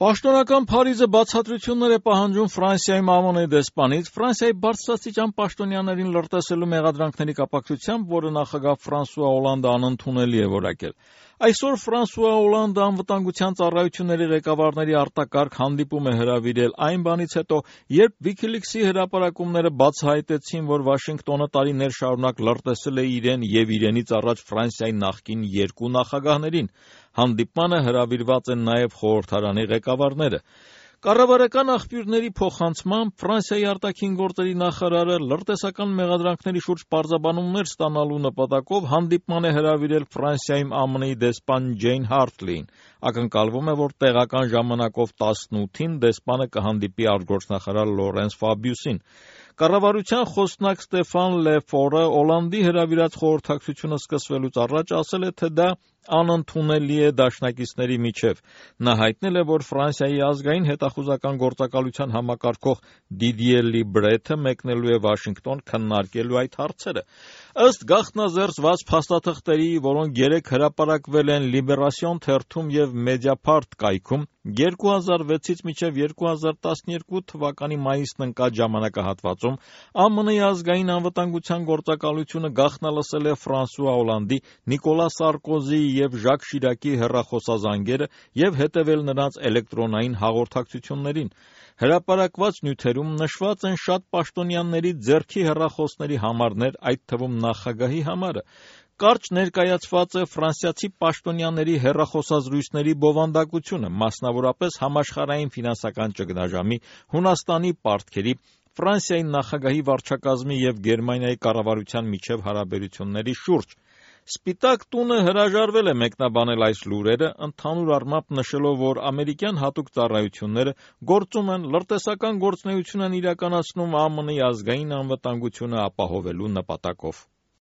Պաշտոնական Փարիզը բացատրություններ է պահանջում Ֆրանսիայում ԱՄՆ-ի դեսպանից Ֆրանսիայի բարձրաստիճան պաշտոնյաներին լրտեսելու մեղադրանքների կապակցությամբ, որը նախագահ Ֆրանսուଆ Օլանդը անընդունելի է որակել։ Այսօր Ֆրանսուଆ Օլանդը անվտանգության ծառայությունների ղեկավարների արտակարգ հանդիպում է հրավիրել այն բանից հետո, երբ WikiLeaks-ի հրապարակումները բացահայտեցին, որ Վաշինգտոնը տարիներ շարունակ լրտեսել է իրեն և իրենից առաջ Ֆրանսիայի նախկին երկու նախագահներին։ Հանդիպմանը հրավիրված են նաև խորհրդարանի ղեկավարները։ Կառավարական աղբյուրների փոխանցմամբ Ֆրանսիայի արտաքին գործերի նախարարը լրտեսական մեղադրանքների շուրջ պարզաբանումներ ստանալու նպատակով հանդիպման է հրավիրել Ֆրանսիայում ԱՄՆ-ի դեսպան Ջեյն Հարթլիին։ Ակնկալվում է, որ տեղական ժամանակով 18-ին դեսպանը կհանդիպի արտգործնախարար Լորենս Ֆաբիուսին։ Կառավարության խոսնակ Ստեֆան Լե Ֆորը Օլանդի հրավիրած խորհրդակցությունը սկսվելուց առաջ ասել է, թե դա անընդունելի է դաշնակիցների միջև։ Նա հայտնել է, որ Ֆրանսիայի ազգային հետախուզական գործակալության համակարգող Դիդիե Լիբրեթը մեկնելու է Վաշինգտոն քննարկելու այդ հարցերը։ Ըստ գաղտնազերծված փաստաթղթերի, որոնք երեկ հրապարակվել են Լիբերասիոն թերթում և Մեդիապարտ կայքում, 2006-ից մինչև 2012 թվականի մայիսն ընկած ժամանակահատվածում ԱՄՆ-ի ազգային անվտանգության գործակալությունը գաղտնալսել է Ֆրանսուଆ Օլանդի, Նիկոլա Սարկոզիի և Ժակ Շիրակի հեռախոսազանգերը և հետևել նրանց էլեկտրոնային հաղորդակցություններին։ Հրապարակված նյութերում նշված են շատ պաշտոնյաների ձեռքի հեռախոսների համարներ, այդ թվում նախագահի համարը։ Կարճ ներկայացված է ֆրանսիացի պաշտոնյաների հեռախոսազրույցների բովանդակությունը, մասնավորապես համաշխարհային ֆինանսական ճգնաժամի, Հունաստանի պարտքերի, Ֆրանսիայի նախագահի վարչակազմի և Գերմանիայի կառավարության միջև հարաբերությունների շուրջ։ Սպիտակ տունը հրաժարվել է մեկնաբանել այս լուրերը, ընդհանուր առմամբ նշելով, որ ամերիկյան հատուկ ծառայությունները գործում են լրտեսական գործունեություն են իրականացնում ԱՄՆ-ի ազգային անվտանգությունը ապահովելու նպատակով։